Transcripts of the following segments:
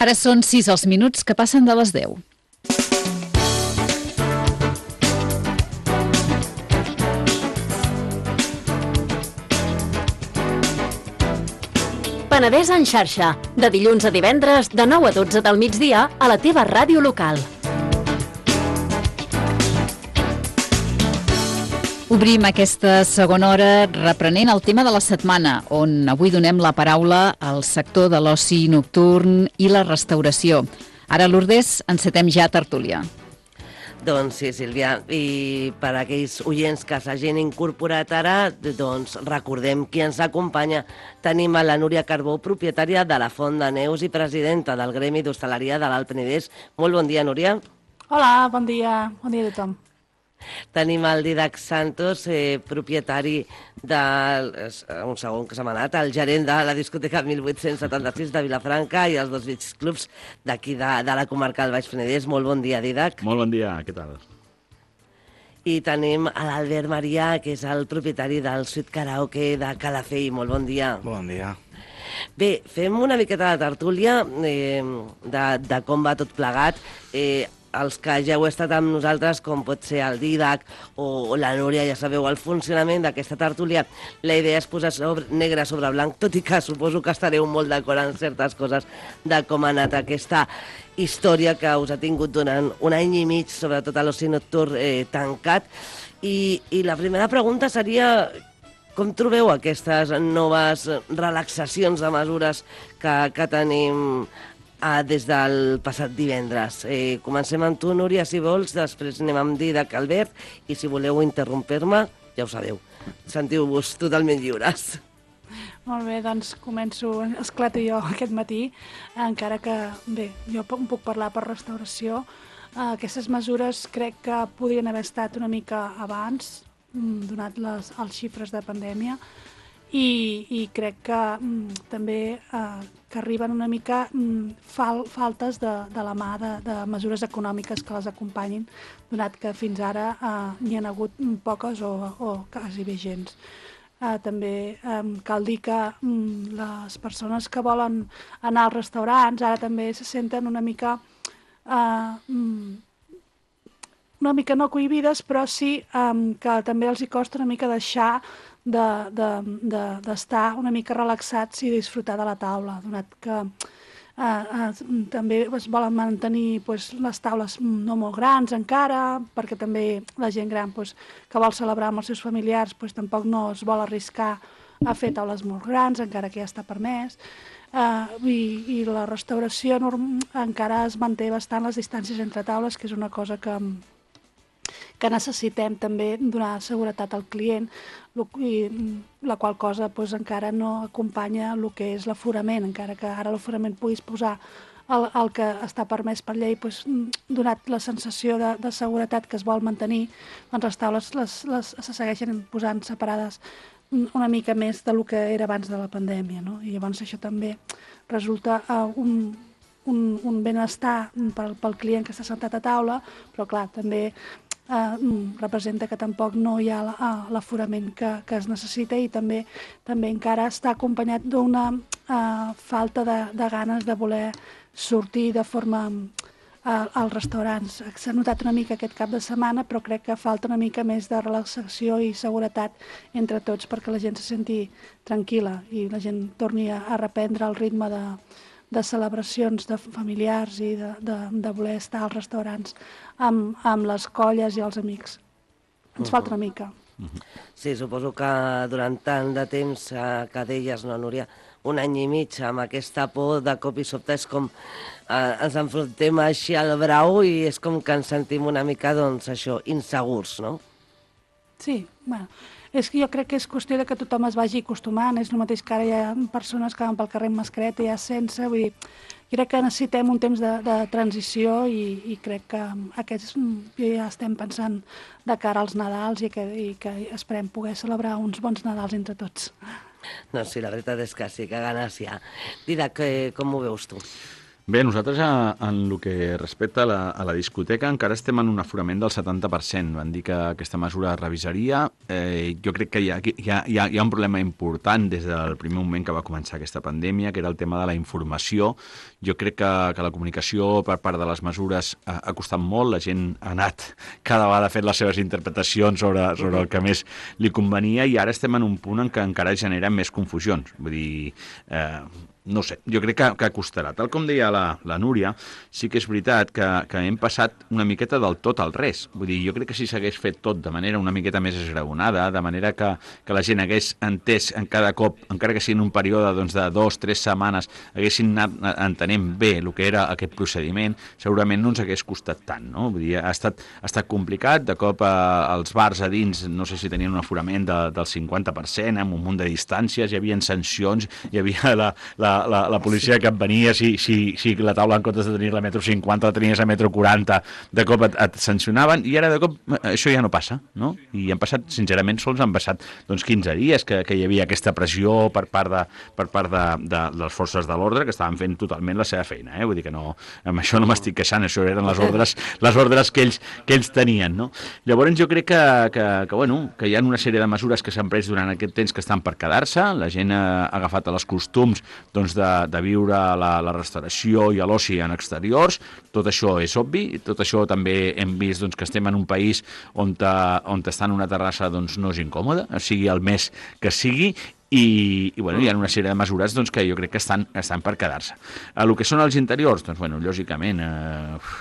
Ara són 6 els minuts que passen de les 10. Penedès en xarxa, de dilluns a divendres, de 9 a 12 del migdia, a la teva ràdio local. Obrim aquesta segona hora reprenent el tema de la setmana, on avui donem la paraula al sector de l'oci nocturn i la restauració. Ara, Lourdes, encetem ja tertúlia. Doncs sí, Sílvia, i per a aquells oients que s'hagin incorporat ara, doncs recordem qui ens acompanya. Tenim a la Núria Carbó, propietària de la Font de Neus i presidenta del Gremi d'Hostaleria de l'Alt Penedès. Molt bon dia, Núria. Hola, bon dia a tothom. Tenim el Didac Santos, propietari un segon que se m'ha anat, el gerent de la discoteca 1876 de Vilafranca i els dos beach clubs d'aquí de la comarca del Baix Penedès. Molt bon dia, Didac. Molt bon dia, què tal? I tenim l'Albert Marià, que és el propietari del Suite Karaoke de Calafell. Molt bon dia. Bon dia. Bé, fem una miqueta de tertúlia de com va tot plegat. Els que ja heu estat amb nosaltres, com pot ser el Didac o la Núria, ja sabeu el funcionament d'aquesta tertúlia. La idea és posar negre sobre blanc, tot i que suposo que estareu molt d'acord en certes coses de com ha anat aquesta història que us ha tingut durant un any i mig, sobretot a l'oci nocturn tancat. I la primera pregunta seria: com trobeu aquestes noves relaxacions de mesures que tenim des del passat divendres? Comencem amb tu, Núria, si vols, després anem amb Didac, Albert, i si voleu interrompir-me, ja ho sabeu, sentiu-vos totalment lliures. Molt bé, doncs començo, esclato jo aquest matí, encara que, bé, jo puc parlar per restauració. Aquestes mesures crec que podrien haver estat una mica abans, donat les xifres de pandèmia, i crec que també que arriben una mica faltes de la mà de mesures econòmiques que les acompanyin, donat que fins ara n'hi ha hagut poques o quasi bé gens. També cal dir que les persones que volen anar als restaurants ara també se senten una mica no cohibides, però sí que també els hi costa una mica deixar d'estar una mica relaxats i disfrutar de la taula, donat que també es volen mantenir les taules no molt grans encara, perquè també la gent gran que vol celebrar amb els seus familiars tampoc no es vol arriscar a fer taules molt grans, encara que ja està permès. I la restauració encara es manté bastant les distàncies entre taules, que és una cosa que necessitem també donar seguretat al client, la qual cosa encara no acompanya el que és l'aforament, encara que ara l'aforament puguis posar el que està permès per llei, donat la sensació de seguretat que es vol mantenir, doncs les taules se segueixen posant separades una mica més del que era abans de la pandèmia, no? I llavors això també resulta un benestar pel client que està sentat a taula, però clar, també representa que tampoc no hi ha l'aforament que es necessita, i també encara està acompanyat d'una falta de ganes de voler sortir de forma als restaurants. S'ha notat una mica aquest cap de setmana, però crec que falta una mica més de relaxació i seguretat entre tots perquè la gent se senti tranquil·la i la gent torni a reprendre el ritme de celebracions de familiars i de voler estar als restaurants amb les colles i els amics. Ens falta una mica. Sí, suposo que durant tant de temps que deies, no, Núria, un any i mig amb aquesta por de cop i sobte és com ens enfrontem així al brau i és com que ens sentim una mica, doncs, això, insegurs, no? Sí, bueno, és que jo crec que és qüestió de que tothom es vagi acostumant. És el mateix que ara hi ha persones que van pel carrer amb mascareta i ja sense, vull dir, crec que necessitem un temps de transició i crec que ja estem pensant de cara als Nadals i que esperem poder celebrar uns bons Nadals entre tots. No, sí, la veritat és que sí, que ganes hi ha. Didac, com ho veus tu? Bé, nosaltres en el que respecta a la discoteca encara estem en un aforament del 70%. Van dir que aquesta mesura es revisaria. Jo crec que hi ha un problema important des del primer moment que va començar aquesta pandèmia, que era el tema de la informació. Jo crec que la comunicació per part de les mesures ha costat molt. La gent ha anat cada vegada fent les seves interpretacions sobre el que més li convenia, i ara estem en un punt en què encara generen més confusions. Vull dir, no sé, jo crec que costarà. Tal com deia la Núria, sí que és veritat que hem passat una miqueta del tot al res. Vull dir, jo crec que si s'hagués fet tot de manera una miqueta més esgraonada, de manera que la gent hagués entès en cada cop, encara que sigui en un període de 2-3 setmanes, haguessin anat entenent bé el que era aquest procediment, segurament no ens hagués costat tant, no? Vull dir, ha estat complicat. De cop els bars a dins, no sé si tenien un aforament del 50%, amb un munt de distàncies, hi havia sancions, hi havia la policia que et venia, si la taula en comptes de tenir-la a metro 50 la tenies a metro 40, de cop et sancionaven, i ara de cop això ja no passa, no? I han passat, sincerament, sols han passat 15 dies que hi havia aquesta pressió per part de les forces de l'ordre, que estaven fent totalment la seva feina, Vull dir que no, amb això no m'estic queixant, això eren les ordres que ells tenien, no? Llavors jo crec que hi ha una sèrie de mesures que s'han pres durant aquest temps que estan per quedar-se. La gent ha agafat els costums de viure la restauració i l'oci en exteriors. Tot això és obvi, tot això també hem vist que estem en un país on estar en una terrassa no és incòmode, sigui el mes que sigui, i bueno, hi ha una sèrie de mesures que jo crec que estan per quedar-se. El que són els interiors, lògicament,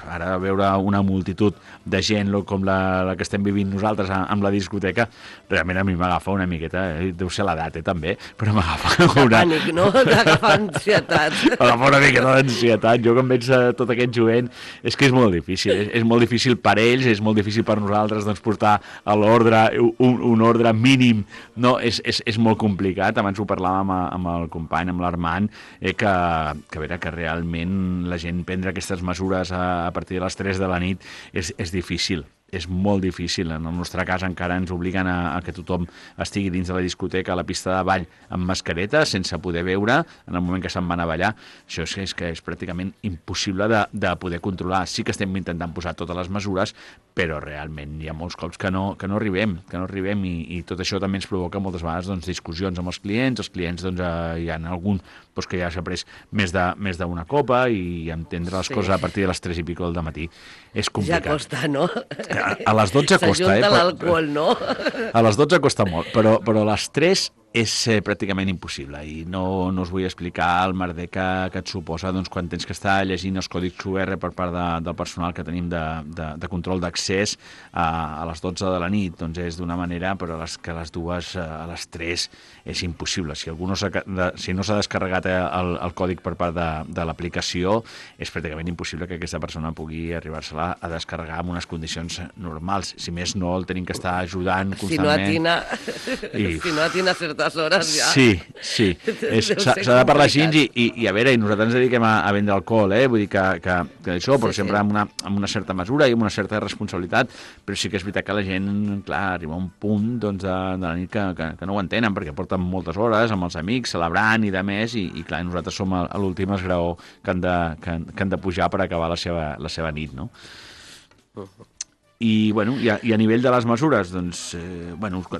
ara veure una multitud de gent com la que estem vivint nosaltres amb la discoteca, realment a mi m'agafa una miqueta, deu ser l'edat també, però m'agafa una... Pànic, no? M'agafa ansietat. M'agafa una miqueta d'ansietat. Jo quan veig tot aquest jovent, és que és molt difícil. És molt difícil per ells, és molt difícil per nosaltres portar a l'ordre, un ordre mínim, no? És molt complicat. Abans ho parlàvem amb el company, amb l'Armand, que realment la gent prendre aquestes mesures a partir de les 3 de la nit és difícil. És molt difícil. En el nostre cas encara ens obliguen a que tothom estigui dins de la discoteca, a la pista de ball, amb mascareta, sense poder veure en el moment que se'n van a ballar. Això és que és pràcticament impossible de poder controlar. Sí que estem intentant posar totes les mesures, però realment hi ha molts cops que no arribem, i tot això també ens provoca moltes vegades discussions amb els clients. Els clients hi ha algun que ja s'ha pres més d'una copa, i entendre les coses a partir de les 3 i pico del matí és complicat. Ja costa, no? A les 12 costa, S'ajunta l'alcohol, no? A les 12 costa molt, però a les 3 és pràcticament impossible, i no us vull explicar el merder que et suposa quan tens que estar llegint els còdics QR per part del personal que tenim de control d'accés a les 12 de la nit. És d'una manera, però que a les 2, a les 3 és impossible. Si no s'ha descarregat el còdic per part de l'aplicació, és pràcticament impossible que aquesta persona pugui arribar-se-la a descarregar en unes condicions normals. Si més no, el tenim que estar ajudant constantment. Si no atina certes hores ja. Sí. S'ha de parlar així, i a veure, nosaltres ens dediquem a vendre alcohol, vull dir que això, però sempre amb una certa mesura i amb una certa responsabilitat, però sí que és veritat que la gent, clar, arriba a un punt de la nit que no ho entenen, perquè porten moltes hores amb els amics, celebrant i de més, i clar, nosaltres som a l'últim esgraó que han de pujar per acabar la seva nit, no? I a nivell de les mesures,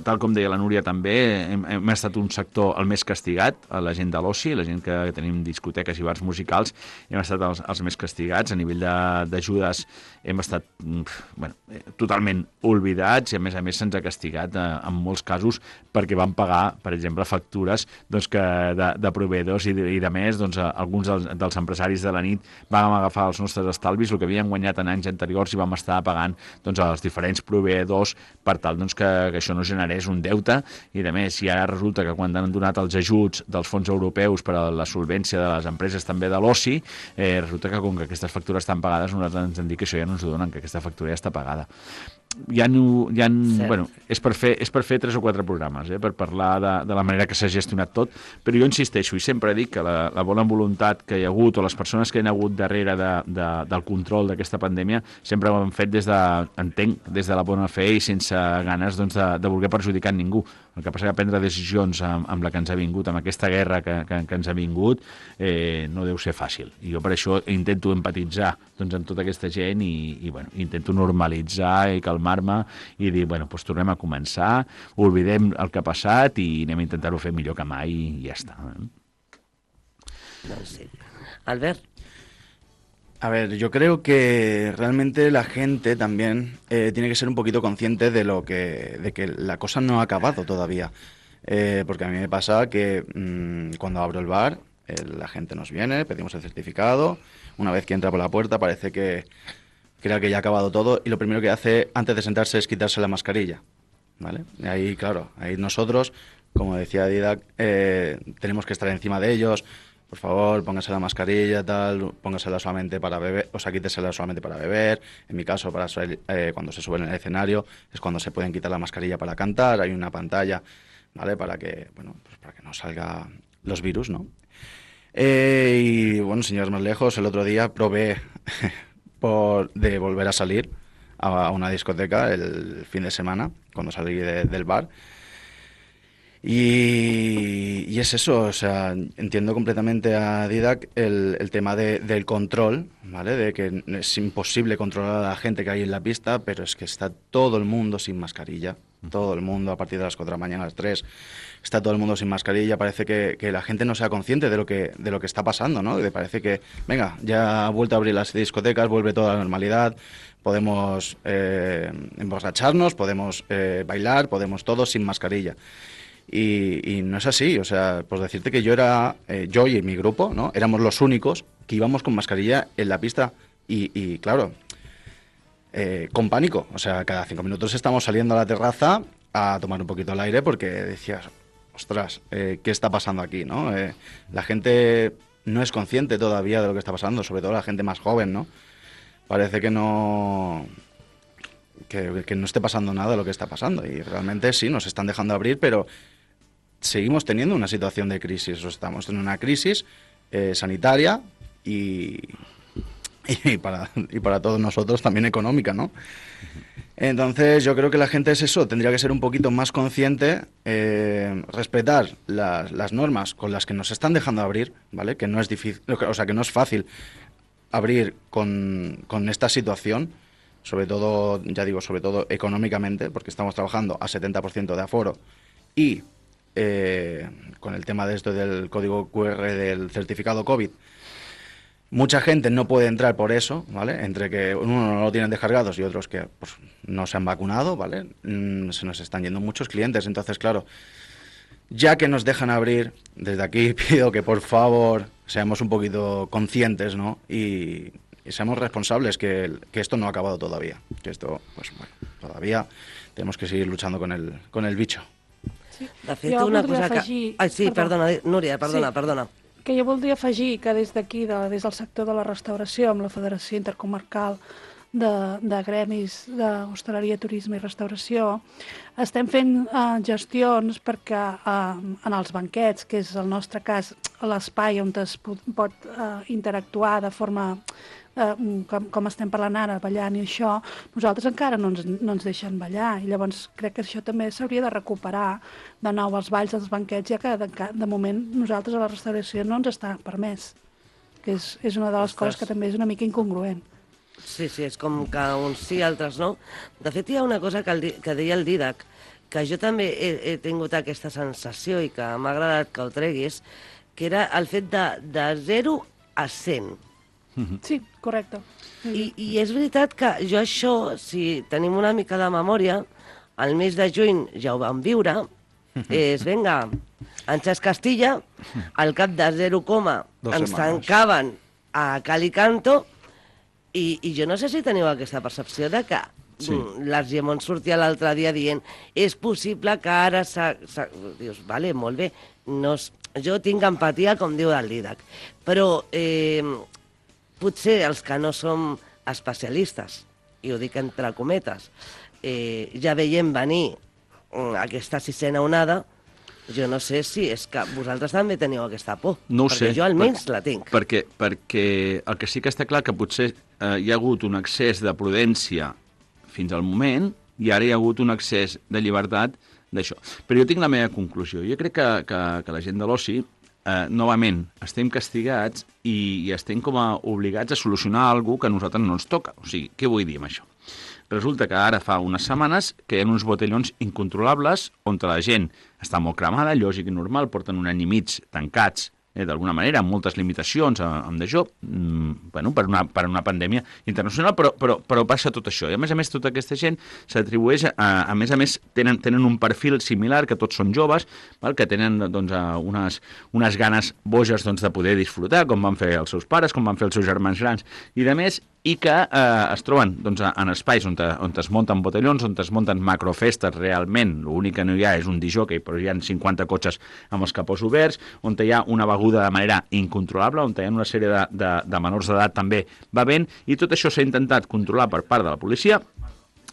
tal com deia la Núria també, hem estat un sector el més castigat, la gent de l'oci, la gent que tenim discoteques i bars musicals, hem estat els més castigats. A nivell d'ajudes hem estat totalment oblidats, i a més se'ns ha castigat en molts casos perquè vam pagar, per exemple, factures de proveïdors i de més. Alguns dels empresaris de la nit vam agafar els nostres estalvis, el que havíem guanyat en anys anteriors, i vam estar pagant als diferents proveïdors per tal que això no generés un deute, i a més, i ara resulta que quan han donat els ajuts dels fons europeus per a la solvència de les empreses també de l'oci, resulta que com que aquestes factures estan pagades, nosaltres ens han dit que això ja no ens ho donen, que aquesta factura ja està pagada. És per fer 3 o 4 programes, per parlar de la manera que s'ha gestionat tot, però jo insisteixo, i sempre dic que la bona voluntat que hi ha hagut, o les persones que hi ha hagut darrere del control d'aquesta pandèmia, sempre ho han fet des de la bona fe i sense ganes de voler perjudicar ningú. El que passa que prendre decisions amb la que ens ha vingut, amb aquesta guerra que ens ha vingut, no deu ser fàcil. I jo per això intento empatitzar doncs, amb tota aquesta gent i bueno, intento normalitzar i calmar-me i dir, bueno, doncs tornem a començar, oblidem el que ha passat i anem a intentar-ho fer millor que mai i ja està. Doncs sí. Albert. A ver, yo creo que realmente la gente también tiene que ser un poquito consciente de que la cosa no ha acabado todavía. Porque a mí me pasa que cuando abro el bar, la gente nos viene, pedimos el certificado, una vez que entra por la puerta parece que crea que ya ha acabado todo y lo primero que hace antes de sentarse es quitarse la mascarilla, ¿vale? Y ahí, claro, ahí nosotros, como decía Didac, tenemos que estar encima de ellos. Por favor, póngase la mascarilla, tal, póngasela solamente para beber, o sea, quítesela solamente para beber. En mi caso, cuando se suben en el escenario, es cuando se pueden quitar la mascarilla para cantar. Hay una pantalla, ¿vale? Para que, bueno, pues para que no salga los virus, ¿no? Y bueno, sin llegar más lejos, el otro día probé de volver a salir a una discoteca el fin de semana, cuando salí del bar. Y es eso, o sea, entiendo completamente a Didac el tema del control, ¿vale? De que es imposible controlar a la gente que hay en la pista, pero es que está todo el mundo sin mascarilla, todo el mundo a partir de las 4 de la mañana, a las 3, está todo el mundo sin mascarilla, parece que la gente no sea consciente de lo que está pasando, ¿no? Parece que, venga, ya ha vuelto a abrir las discotecas, vuelve toda la normalidad, podemos emborracharnos, podemos bailar, podemos todos sin mascarilla. Y no es así, o sea, pues decirte que yo y mi grupo, ¿no? Éramos los únicos que íbamos con mascarilla en la pista y claro, con pánico, o sea, cada 5 minutos estamos saliendo a la terraza a tomar un poquito el aire porque decías, ostras, ¿qué está pasando aquí, no? La gente no es consciente todavía de lo que está pasando, sobre todo la gente más joven, ¿no? Parece que no esté pasando nada de lo que está pasando y realmente sí, nos están dejando abrir, pero seguimos teniendo una situación de crisis, estamos en una crisis sanitaria y para todos nosotros también económica, ¿no? Entonces yo creo que la gente es eso, tendría que ser un poquito más consciente, respetar las normas con las que nos están dejando abrir, ¿vale? Que no es difícil, o sea, que no es fácil abrir con esta situación, sobre todo, ya digo, sobre todo económicamente, porque estamos trabajando a 70% de aforo y con el tema de esto del código QR del certificado COVID, mucha gente no puede entrar por eso, ¿vale? Entre que uno no lo tienen descargados y otros que pues, no se han vacunado, ¿vale? Se nos están yendo muchos clientes, entonces, claro, ya que nos dejan abrir, desde aquí pido que por favor seamos un poquito conscientes, ¿no? Y seamos responsables, que esto no ha acabado todavía, que esto, pues bueno, todavía tenemos que seguir luchando con el bicho. Sí. De fet, una cosa afegir... que... Ai, sí, perdona, Núria, perdona. Que jo voldria afegir que des d'aquí, des del sector de la restauració, amb la Federació Intercomarcal de Gremis d'Hostaleria, Turisme i Restauració, estem fent gestions perquè en els banquets, que és el nostre cas l'espai on es pot interactuar de forma com estem parlant ara, ballant i això, nosaltres encara no ens deixen ballar i llavors crec que això també s'hauria de recuperar de nou als balls, als banquets, ja que de moment nosaltres a la restauració no ens està permès, que és una de les coses que també és una mica incongruent. Sí, és com que uns sí, altres no. De fet, hi ha una cosa que deia el Didac, que jo també he tingut aquesta sensació i que m'ha agradat que ho treguis, que era el fet de 0 a 100. Sí, correcte. I és veritat que jo això, si tenim una mica de memòria, al mes de juny ja ho vam viure, és, vinga, Anxes Castilla, al cap de 0, ens tancaven a Cal i Canto, i jo no sé si teniu aquesta percepció de que l'Argemon sortia l'altre dia dient és possible que ara dius, vale, molt bé, jo tinc empatia, com diu el Didac, però potser els que no som especialistes, i ho dic entre cometes, ja veiem venir aquesta 6a onada, jo no sé si és que vosaltres també teniu aquesta por, no perquè sé, jo almenys la tinc. Perquè el que sí que està clar que potser hi ha hagut un excés de prudència fins al moment i ara hi ha hagut un excés de llibertat d'això. Però jo tinc la meva conclusió. Jo crec que la gent de l'oci, novament, estem castigats i estem com a obligats a solucionar alguna cosa que a nosaltres no ens toca. O sigui, què vull dir amb això? Resulta que ara fa unes setmanes que hi ha uns botellons incontrolables on la gent està molt cremada, lògic i normal, porten un any i mig tancats, d'alguna manera, amb moltes limitacions amb d'això, bueno, per una pandèmia internacional, però passa tot això. I a més, tota aquesta gent s'atribueix, a més, tenen un perfil similar, que tots són joves, val? Que tenen doncs, unes ganes boges doncs, de poder disfrutar, com van fer els seus pares, com van fer els seus germans grans, i de més, i que es troben doncs, en espais on es munten botellons, on es munten macrofestes realment. L'únic que no hi ha és un disjockey, però hi ha 50 cotxes amb els capós oberts, on hi ha una beguda de manera incontrolable, on hi ha una sèrie de menors d'edat també bevent, i tot això s'ha intentat controlar per part de la policia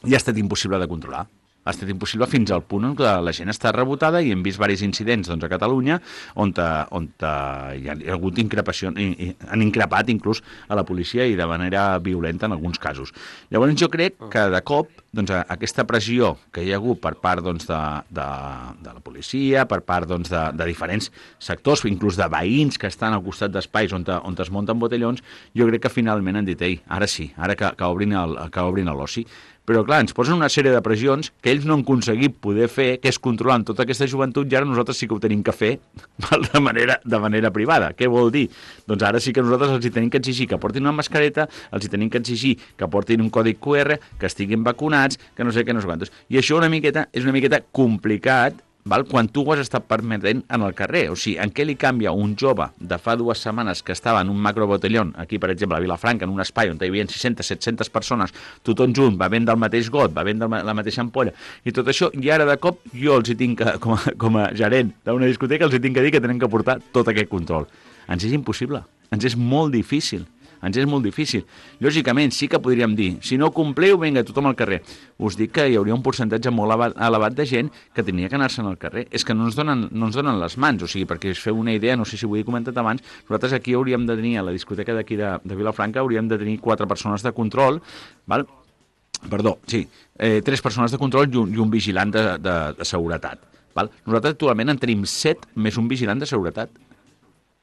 i ha estat impossible de controlar. Ha estat impossible fins al punt en què la gent està rebotada i hem vist diversos incidents doncs, a Catalunya on hi ha hagut increpació, han increpat inclús a la policia i de manera violenta en alguns casos. Llavors jo crec que de cop doncs, aquesta pressió que hi ha hagut per part doncs, de la policia, per part doncs, de diferents sectors, inclús de veïns que estan al costat d'espais on es munten botellons, jo crec que finalment han dit, ei, ara sí, ara que obrin l'oci. Però, clar, ens posen una sèrie de pressions que ells no han aconseguit poder fer, que és controlar tota aquesta joventut, i ara nosaltres sí que ho tenim que fer de manera privada. Què vol dir? Doncs ara sí que nosaltres els hi tenim que exigir que portin una mascareta, els hi tenim que exigir que portin un codi QR, que estiguin vacunats, que no sé què, no sé quantos. I això és una miqueta complicat, val? Quan tu ho has estat permetent en el carrer. O sigui, en què li canvia un jove de fa 2 setmanes que estava en un macrobotellón, aquí, per exemple, a Vilafranca, en un espai on hi havia 600-700 persones, tothom junt, bevent del mateix got, bevent de la mateixa ampolla, i tot això, i ara de cop jo els hi tinc que, com a gerent d'una discoteca, els hi tinc que dir que tenen que portar tot aquest control. Ens és impossible, ens és molt difícil. Lògicament, sí que podríem dir, si no compliu, vinga, tothom al carrer. Us dic que hi hauria un percentatge molt elevat de gent que tenia que anar-se'n al carrer. És que no ens donen les mans, o sigui, perquè us feu una idea, no sé si ho he comentat abans, nosaltres aquí hauríem de tenir, a la discoteca d'aquí de Vilafranca, hauríem de tenir 4 persones de control, val? Perdó, sí, 3 persones de control i un vigilant de seguretat. Val? Nosaltres actualment en tenim 7 més un vigilant de seguretat.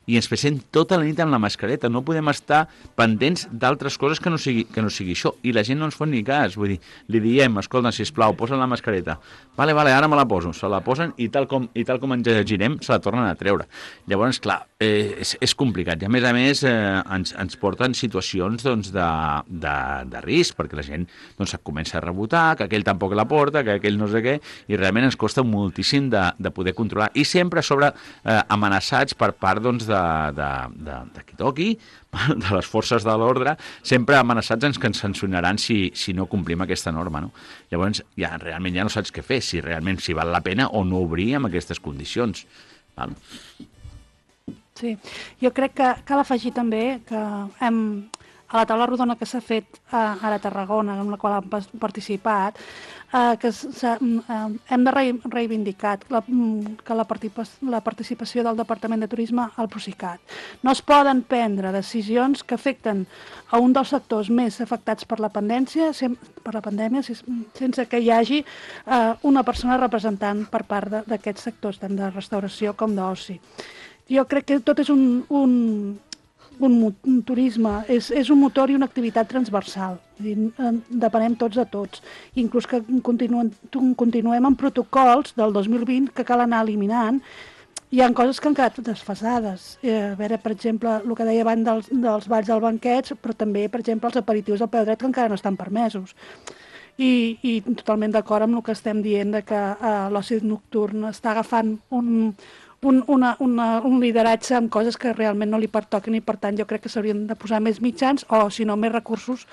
I ens passem tota la nit amb la mascareta. No podem estar pendents d'altres coses que no sigui això. I la gent no ens fot ni cas. Vull dir, li diem, escolta, sisplau, posa la mascareta. Vale, ara me la poso. Se la posen i tal com ens girem, se la tornen a treure. Llavors, clar, és complicat. I a més, ens porten situacions doncs, de risc, perquè la gent doncs, comença a rebotar, que aquell tampoc la porta, que aquell no sé què, i realment ens costa moltíssim de poder controlar. I sempre sobre amenaçats per part doncs, de qui toqui, de les forces de l'ordre, sempre amenaçats que ens sancionaran si no complim aquesta norma. No? Llavors, realment ja no saps què fer, si realment val la pena o no obrir amb aquestes condicions. Val? Sí, jo crec que cal afegir també que a la taula rodona que s'ha fet ara a Tarragona, en la qual hem participat, que hem de reivindicar que la participació del Departament de Turisme al Procicat. No es poden prendre decisions que afecten a un dels sectors més afectats per la pandèmia sense que hi hagi una persona representant per part d'aquests sectors, tant de restauració com d'oci. Jo crec que tot és un turisme, és un motor i una activitat transversal. Depenem tots de tots. Inclús que continuem amb protocols del 2020 que cal anar eliminant. Hi ha coses que han quedat desfasades. A veure, per exemple, el que deia abans dels balls del banquets, però també, per exemple, els aperitius al peu dret que encara no estan permesos. I totalment d'acord amb el que estem dient de que l'oci nocturn està agafant un lideratge amb coses que realment no li pertoquen i per tant jo crec que s'haurien de posar més mitjans o si no més recursos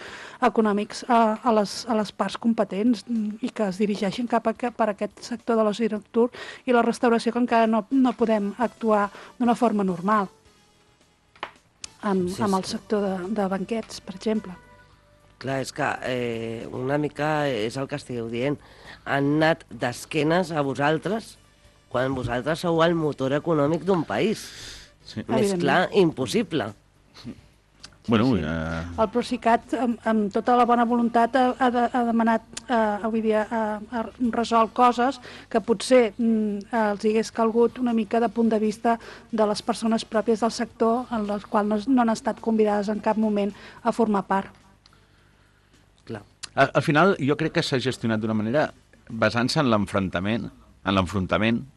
econòmics a les parts competents i que es dirigeixin cap per aquest sector de l'oci nocturn i la restauració que encara no podem actuar d'una forma normal amb el sector de banquets, per exemple. Clar, és que una mica és el que estigueu dient. Han anat d'esquenes a vosaltres quan vosaltres sou el motor econòmic d'un país. Sí. Més clar, impossible. Bueno, El Procicat, amb tota la bona voluntat, ha demanat, avui dia, ha resolt coses que potser els hagués calgut una mica de punt de vista de les persones pròpies del sector, en les quals no han estat convidades en cap moment a formar part. Clar. Al final, jo crec que s'ha gestionat d'una manera basant-se en l'enfrontament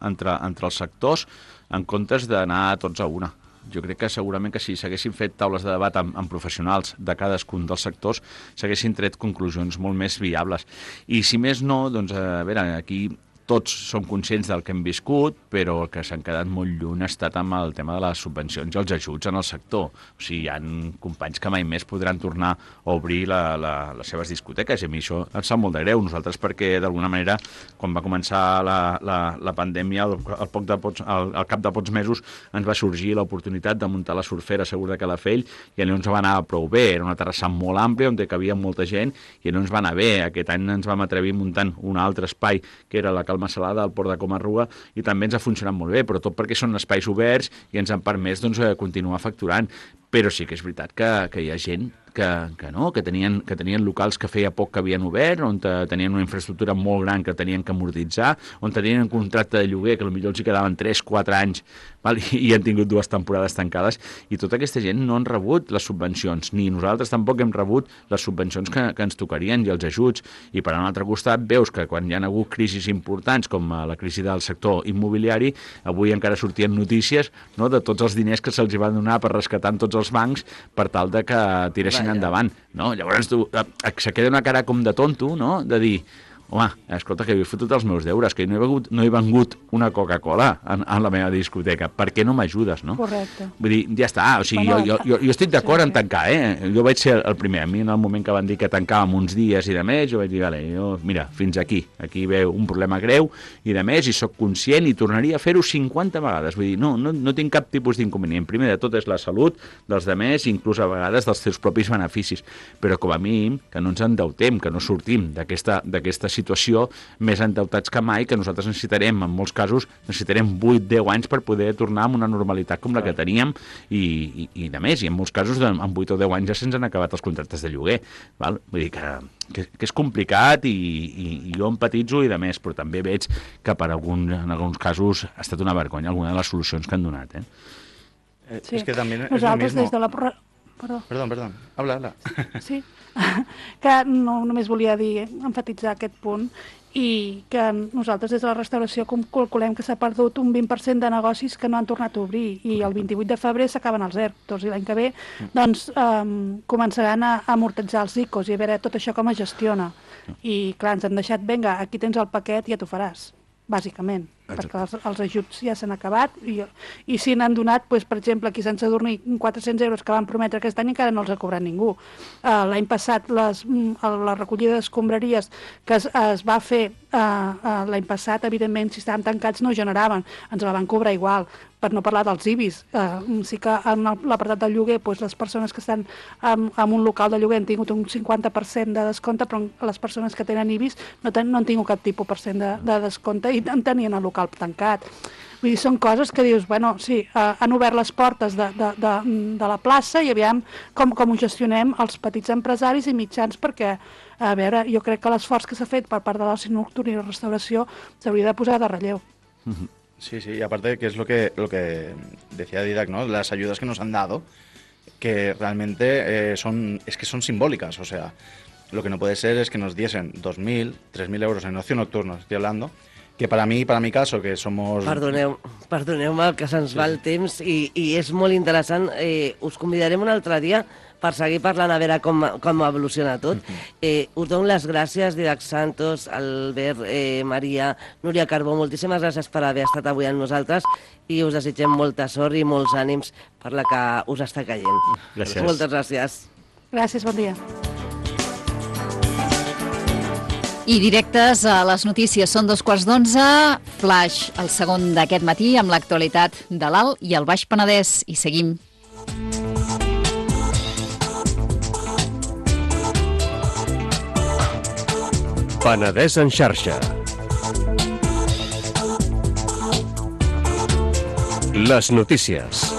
entre els sectors en comptes d'anar tots a una. Jo crec que segurament que si s'haguessin fet taules de debat amb professionals de cadascun dels sectors s'haguessin tret conclusions molt més viables. I si més no, doncs, a veure, aquí tots som conscients del que hem viscut, però el que s'han quedat molt lluny ha estat amb el tema de les subvencions i els ajuts en el sector. O sigui, hi ha companys que mai més podran tornar a obrir les seves discoteques, i a mi això em sap molt de greu. Nosaltres perquè, d'alguna manera, quan va començar la pandèmia, al cap de pocs mesos ens va sorgir l'oportunitat de muntar la surfera Segur de Calafell, i allò ens va anar prou bé. Era una terrassa molt àmplia on hi cabia molta gent, i allò ens va anar bé. Aquest any ens vam atrevir muntant un altre espai, que era la Calma Salada, al Port de Comarruga, i també ens ha funcionat molt bé, però tot perquè són espais oberts i ens han permès continuar facturant. Però sí que és veritat que hi ha gent que tenien locals que feia poc que havien obert, on tenien una infraestructura molt gran que tenien que amortitzar, on tenien un contracte de lloguer que potser els hi quedaven 3-4 anys, val? I han tingut 2 temporades tancades, i tota aquesta gent no han rebut les subvencions, ni nosaltres tampoc hem rebut les subvencions que ens tocarien i els ajuts. I per un altre costat veus que quan hi ha hagut crisis importants com la crisi del sector immobiliari, avui encara sortien notícies, no?, de tots els diners que se'ls van donar per rescatar tots els bancs per tal de que tiressin endavant, no? Llavors se queda una cara com de tonto, no?, de dir, home, escolta, que he fotut els meus deures, que no he vengut una Coca-Cola en la meva discoteca, per què no m'ajudes, no? Correcte. Vull dir, ja està, o sigui, jo estic d'acord en tancar, jo vaig ser el primer. A mi en el moment que van dir que tancàvem uns dies i de més, jo vaig dir, vale, mira, fins aquí veu un problema greu i de més, i sóc conscient i tornaria a fer-ho 50 vegades. Vull dir, no tinc cap tipus d'inconvenient. Primer de tot és la salut dels demés, inclús a vegades dels teus propis beneficis, però com a mínim que no ens endeutem, que no sortim d'aquesta situació més endeutats que mai, que nosaltres necessitarem, en molts casos, 8-10 anys per poder tornar a una normalitat com la que teníem, i de més, i en molts casos en 8 o 10 anys ja se'ns han acabat els contractes de lloguer, val? Vull dir que és complicat, i jo empatitzo i de més, però també veig que en alguns casos ha estat una vergonya alguna de les solucions que han donat. Sí. Es que también nosaltres es lo mismo. des de la... Perdón. Habla. Sí, que no només volia enfatitzar aquest punt, i que nosaltres des de la restauració calculem que s'ha perdut un 20% de negocis que no han tornat a obrir, i el 28 de febrer s'acaben els ERTOs, i l'any que ve doncs, començaran a amortitzar els ICOs, i a veure tot això com es gestiona. I clar, ens han deixat, vinga, aquí tens el paquet i ja t'ho faràs, bàsicament. Perquè els ajuts ja s'han acabat, i si n'han donat, doncs, per exemple, aquí a Sant Sadurní 400 euros que van prometre aquest any encara no els ha cobrat ningú. L'any passat la recollida d'escombraries que es va fer l'any passat, evidentment, si estaven tancats no generaven, ens la van cobrar igual, per no parlar dels IBIs. Sí que en l'apartat del lloguer, doncs, les persones que estan en un local de lloguer han tingut un 50% de descompte, però les persones que tenen IBIs no han tingut cap tipus % de descompte, i en tenien el local tancat. Vull dir, són coses que dius, bueno, sí, han obert les portes de la plaça, i aviam com ho gestionem els petits empresaris i mitjans, perquè, a veure, jo crec que l'esforç que s'ha fet per part de l'oci nocturn i la restauració s'hauria de posar de relleu. Sí, y aparte que es lo que decía Didac, ¿no? Las ayudas que nos han dado, que realmente son simbólicas, o sea, lo que no puede ser es que nos diesen 2.000, 3.000 euros en ocio nocturno, estoy hablando, que para mi caso, que somos... Perdoneu-me, que se'ns va el temps, i és molt interessant. Us convidarem un altre dia per seguir parlant, a veure com evoluciona tot. Us dono les gràcies, Didac Santos, Albert, Maria, Núria Carbó, moltíssimes gràcies per haver estat avui amb nosaltres, i us desitgem molta sort i molts ànims per la que us està caient. Gràcies. Moltes gràcies. Gràcies, bon dia. I directes a les notícies, són 11:15, flash, el segon d'aquest matí, amb l'actualitat de l'Alt i el Baix Penedès, i seguim. Penedès en xarxa. Les notícies.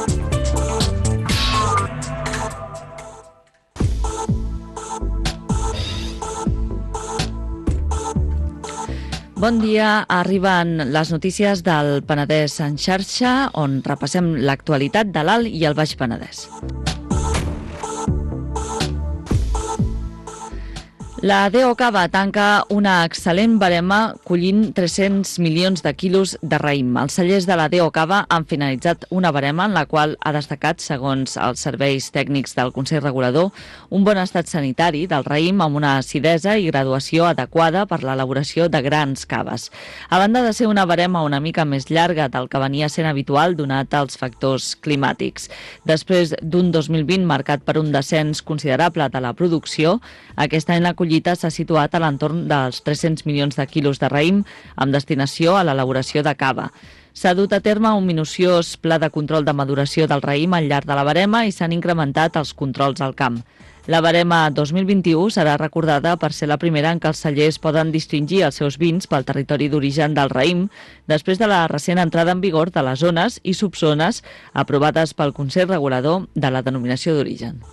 Bon dia, arriben les notícies del Penedès en xarxa, on repassem l'actualitat de l'Alt i el Baix Penedès. La DO Cava tanca una excel·lent barema collint 300 milions de quilos de raïm. Els cellers de la DO Cava han finalitzat una barema en la qual ha destacat, segons els serveis tècnics del Consell Regulador, un bon estat sanitari del raïm amb una acidesa i graduació adequada per l'elaboració de grans caves. A banda de ser una barema una mica més llarga del que venia sent habitual donat als factors climàtics. Després d'un 2020 marcat per un descens considerable de la producció, aquest any la collita s'ha situat a l'entorn dels 300 milions de quilos de raïm amb destinació a l'elaboració de cava. S'ha dut a terme un minuciós pla de control de maduració del raïm al llarg de la barema i s'han incrementat els controls al camp. La barema 2021 serà recordada per ser la primera en què els cellers poden distingir els seus vins pel territori d'origen del raïm, després de la recent entrada en vigor de les zones i subzones aprovades pel Consell Regulador de la denominació d'origen.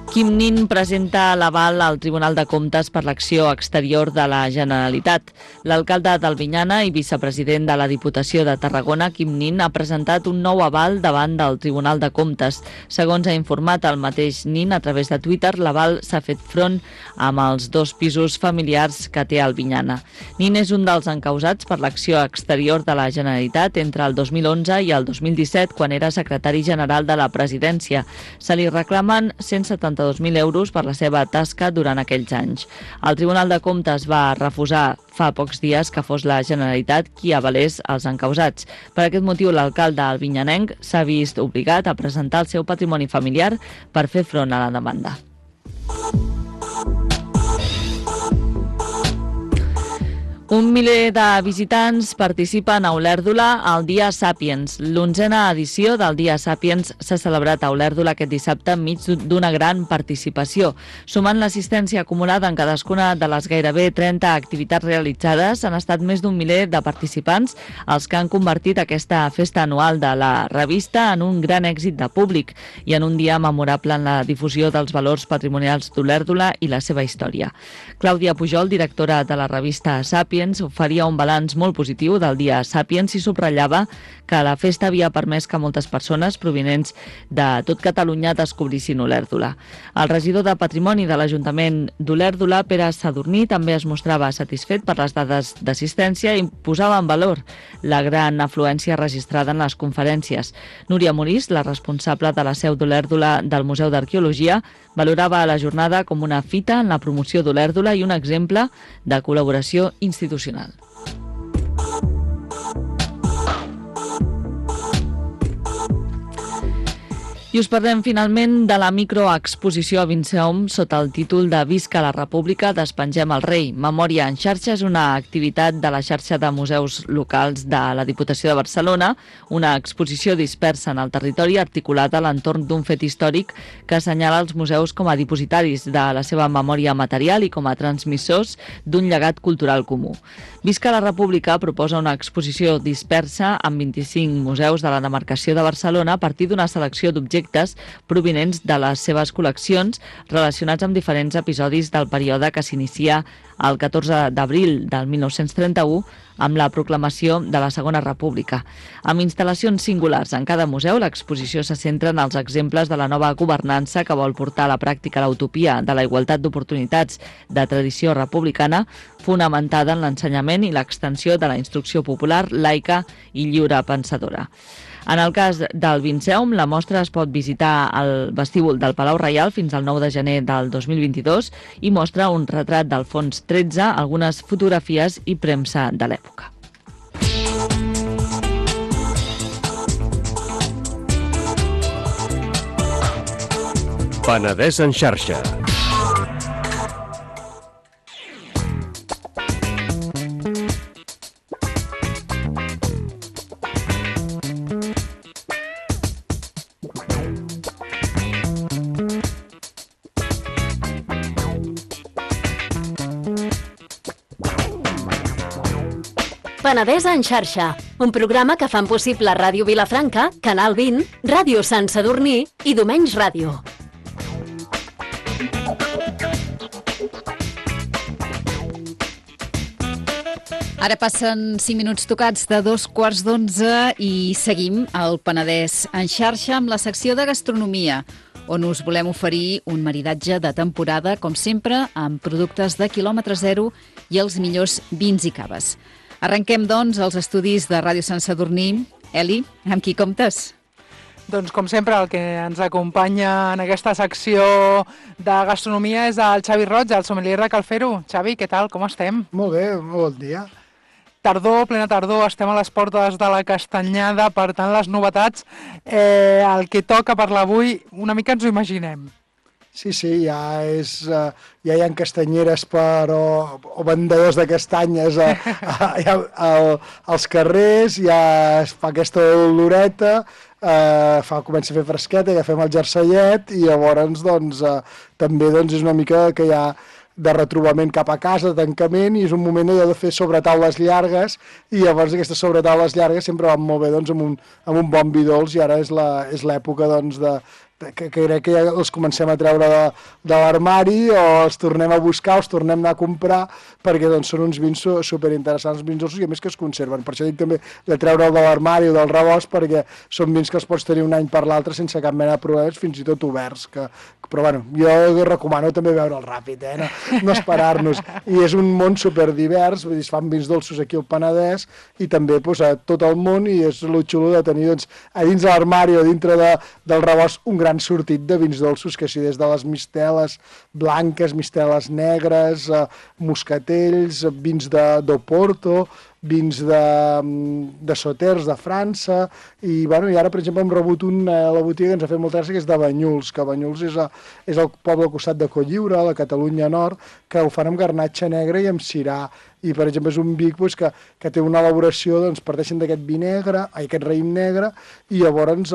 Quim Nin presenta l'aval al Tribunal de Comptes per l'acció exterior de la Generalitat. L'alcalde d'Albinyana i vicepresident de la Diputació de Tarragona, Quim Nin, ha presentat un nou aval davant del Tribunal de Comptes. Segons ha informat el mateix Nin a través de Twitter, l'aval s'ha fet front amb els 2 pisos familiars que té Albinyana. Nin és un dels encausats per l'acció exterior de la Generalitat entre el 2011 i el 2017, quan era secretari general de la presidència. Se li reclamen 172.000 euros per la seva tasca durant aquells anys. El Tribunal de Comptes va refusar fa pocs dies que fos la Generalitat qui avalés els encausats. Per aquest motiu, l'alcalde albinyanenc s'ha vist obligat a presentar el seu patrimoni familiar per fer front a la demanda. Un miler de visitants participen a Olèrdola al Dia Sàpiens. L'11a edició del Dia Sàpiens s'ha celebrat a Olèrdola aquest dissabte enmig d'una gran participació. Sumant l'assistència acumulada en cadascuna de les gairebé 30 activitats realitzades, han estat més d'un miler de participants els que han convertit aquesta festa anual de la revista en un gran èxit de públic i en un dia memorable en la difusió dels valors patrimonials d'Olèrdola i la seva història. Clàudia Pujol, directora de la revista Sàpiens, oferia un balanç molt positiu del Dia Sàpiens i subratllava que la festa havia permès que moltes persones provinents de tot Catalunya descobrissin Olèrdola. El regidor de Patrimoni de l'Ajuntament d'Olèrdola, Pere Sadurní, també es mostrava satisfet per les dades d'assistència i posava en valor la gran afluència registrada en les conferències. Núria Morís, la responsable de la seu d'Olèrdola del Museu d'Arqueologia, valorava la jornada com una fita en la promoció d'Olèrdola i un exemple de col·laboració institucional. I us parlem finalment de la microexposició a Vinceom sota el títol de Visca la República, despengem el rei. Memòria en xarxa és una activitat de la xarxa de museus locals de la Diputació de Barcelona, una exposició dispersa en el territori articulada a l'entorn d'un fet històric que assenyala els museus com a dipositaris de la seva memòria material i com a transmissors d'un llegat cultural comú. Visca la República proposa una exposició dispersa amb 25 museus de la demarcació de Barcelona a partir d'una selecció d'objectes provinents de les seves col·leccions relacionats amb diferents episodis del període que s'inicia el 14 d'abril del 1931 amb la proclamació de la Segona República. Amb instal·lacions singulars en cada museu, l'exposició se centra en els exemples de la nova governança que vol portar a la pràctica l'utopia de la igualtat d'oportunitats de tradició republicana, fonamentada en l'ensenyament i l'extensió de la instrucció popular, laica i lliure pensadora. En el cas del Vinceom, la mostra es pot visitar al vestíbul del Palau Reial fins al 9 de gener del 2022 i mostra un retrat d'Alfons XIII, algunes fotografies i premsa de l'època. Penedès en xarxa. Penedès en xarxa, un programa que fan possible Ràdio Vilafranca, Canal 20, Ràdio Sant Sadurní i Domenys Ràdio. Ara passen 5 minuts tocats de 2:15 i seguim al Penedès en xarxa amb la secció de gastronomia, on us volem oferir un maridatge de temporada, com sempre, amb productes de quilòmetre zero i els millors vins i caves. Arrenquem, doncs, els estudis de Ràdio Sant Sadurní. Eli, amb qui comptes? Doncs, com sempre, el que ens acompanya en aquesta secció de gastronomia és el Xavi Roig, el sommelier de Calfero. Xavi, què tal? Com estem? Molt bé, molt bon dia. Tardor, plena tardor, estem a les portes de la Castanyada, per tant, les novetats, el que toca parlar avui, una mica ens ho imaginem. Sí, ja hi ha castanyeres o vendedors de castanyes als carrers, ja es fa aquesta oloreta, comença a fer fresqueta, ja fem el jersellet i llavors també és una mica que hi ha de retrobament cap a casa, de tancament, i és un moment de fer sobretaules llargues, i llavors aquestes sobretaules llargues sempre van molt bé amb un bon vi dolç, i ara és l'època que crec que ja els comencem a treure de l'armari, o els tornem a buscar, o els tornem a anar a comprar, perquè són uns vins superinteressants, vins dolços, i a més que es conserven. Per això dic també de treure'l de l'armari o del rebost, perquè són vins que els pots tenir un any per l'altre sense cap mena de problemes, fins i tot oberts. Però bueno, jo recomano també veure'l ràpid, no esperar-nos. I és un món superdivers, vull dir, es fan vins dolços aquí al Penedès, i també a tot el món, i és el xulo de tenir a dins de l'armari o dintre del rebost un gran sortit de vins dolços, que sí, des de les misteles blanques, misteles negres, moscatells, vins d'Oporto, vins de Sauters de França, i ara, per exemple, hem rebut a la botiga que ens ha fet molta gràcia, que és de Banyuls, que Banyuls és el poble al costat de Cotlliure, a la Catalunya Nord, que ho fan amb garnatxa negra i amb cirà, i per exemple és un vi que té una elaboració, parteixen d'aquest vi negre, aquest raïm negre, i llavors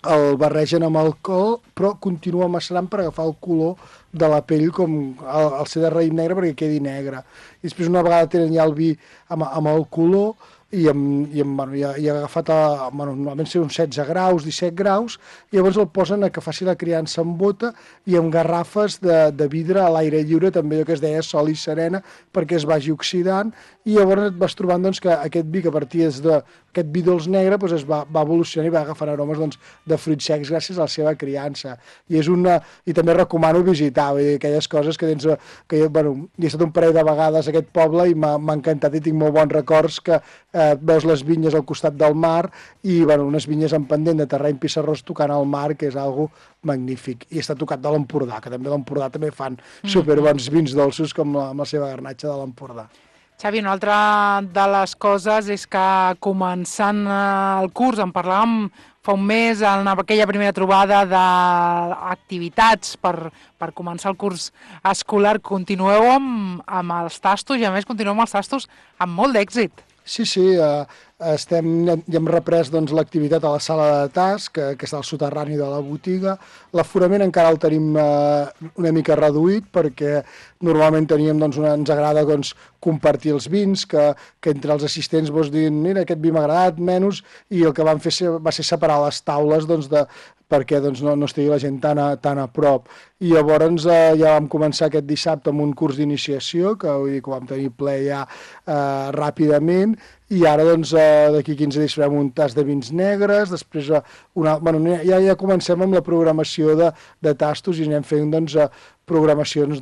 el barregen amb alcohol, però continua macerant per agafar el color de la pell, com el ser de raïm negre, perquè quedi negre. I després una vegada tenen ja el vi amb el color, i ha agafat, normalment ser uns 16 graus, 17 graus, i llavors el posen a que faci la criança en bota i amb garrafes de vidre a l'aire lliure, també allò que es deia sol i serena, perquè es vagi oxidant, i llavors et vas trobant que aquest vi, que partia d'aquest vi dolç negre, es va evolucionant i va agafant aromes de fruits secs gràcies a la seva criança. I també recomano visitar, vull dir, aquelles coses que tens... He estat un parell de vegades a aquest poble i m'ha encantat i tinc molt bons records, que veus les vinyes al costat del mar i unes vinyes en pendent de terreny pissarrós tocant al mar, que és algo magnífic. I està tocat de l'Empordà, que també a l'Empordà també fan superbons vins dolços com amb la seva garnatxa de l'Empordà. Xavi, una altra de les coses és que començant el curs, en parlàvem fa un mes, en aquella primera trobada d'activitats per començar el curs escolar, continueu amb els tastos, i a més continueu amb els tastos amb molt d'èxit. Sí, ja hem reprès l'activitat a la sala de tas, que està al soterrani de la botiga. L'aforament encara el tenim una mica reduït, perquè normalment ens agrada compartir els vins, que entre els assistents diguin, mira, aquest vi m'ha agradat, menys, i el que vam fer va ser separar les taules perquè no estigui la gent tan a prop. I llavors ja vam començar aquest dissabte amb un curs d'iniciació, que vam tenir ple ja ràpidament, i ara d'aquí 15 dies farem un tas de vins negres, després ja comencem amb la programació de tastos i anem fent programacions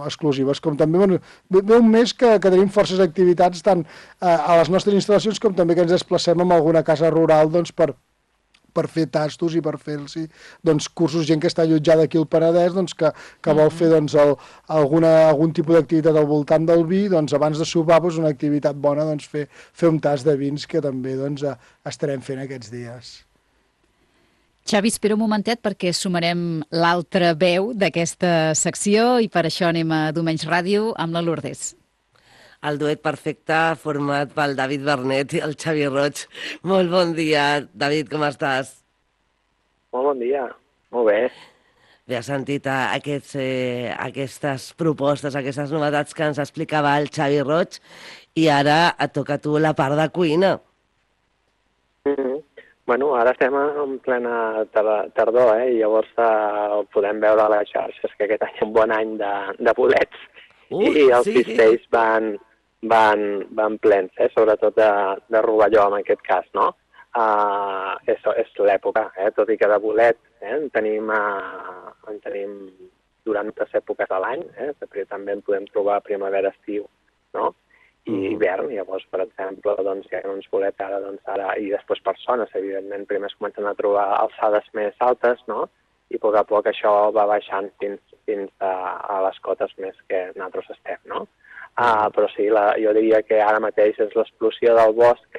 exclusives, com també ve un mes que tenim forces activitats tant a les nostres instal·lacions com també que ens desplacem en alguna casa rural per fer tastos i per fer-los cursos, gent que està allotjada aquí al Penedès, que vol fer algun tipus d'activitat al voltant del vi, abans de sopar una activitat bona, fer un tas de vins, que també estarem fent aquests dies. Xavi, espera un momentet perquè sumarem l'altra veu d'aquesta secció i per això anem a Domenys Ràdio amb la Lourdes. El duet perfecte format pel David Bernet i el Xavi Roig. Molt bon dia, David, com estàs? Molt bon dia, molt bé. Bé, has sentit aquestes propostes, aquestes novetats que ens explicava el Xavi Roig, i ara et toca a tu la part de cuina. Bueno, ara estem en plena tardor, i llavors podem veure a les xarxes que aquest any és un bon any de bolets. I els cistells van van plens, sobretot de rovelló en aquest cas, no? És l'època, tot i que de bolet en tenim durant les èpoques de l'any, perquè també en podem trobar primavera-estiu, no? I hivern, llavors, per exemple, doncs, hi ha uns bolets ara, i després per zones, evidentment, primer es comencen a trobar alçades més altes, no? I a poc a poc això va baixant fins a les cotes més que nosaltres estem, no? Però sí, jo diria que ara mateix és l'explosió del bosc,